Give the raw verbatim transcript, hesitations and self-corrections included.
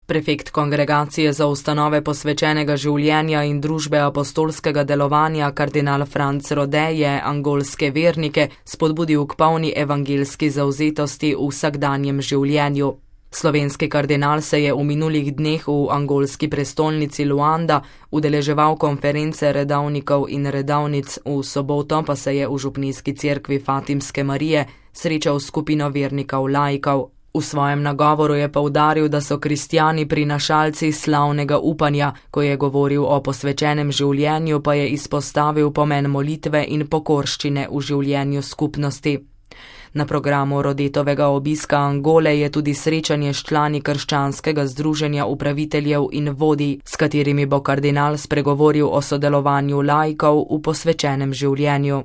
Prefekt kongregacije za ustanove posvečenega življenja in družbe apostolskega delovanja kardinal Franc Rode je angolske vernike spodbudil k polni evangelski zavzetosti v vsakdanjem življenju. Slovenski kardinal se je v minulih dneh v angolski prestolnici Luanda udeleževal konference redavnikov in redavnic, v soboto pa se je v župnijski cerkvi Fatimske Marije srečal s skupino vernikov laikov. V svojem nagovoru je poudaril, da so kristjani prinašalci slavnega upanja, ko je govoril o posvečenem življenju, pa je izpostavil pomen molitve in pokorščine v življenju skupnosti. Na programu Rodetovega obiska Angole je tudi srečanje s člani krščanskega združenja upraviteljev in vodij, s katerimi bo kardinal spregovoril o sodelovanju laikov v posvečenem življenju.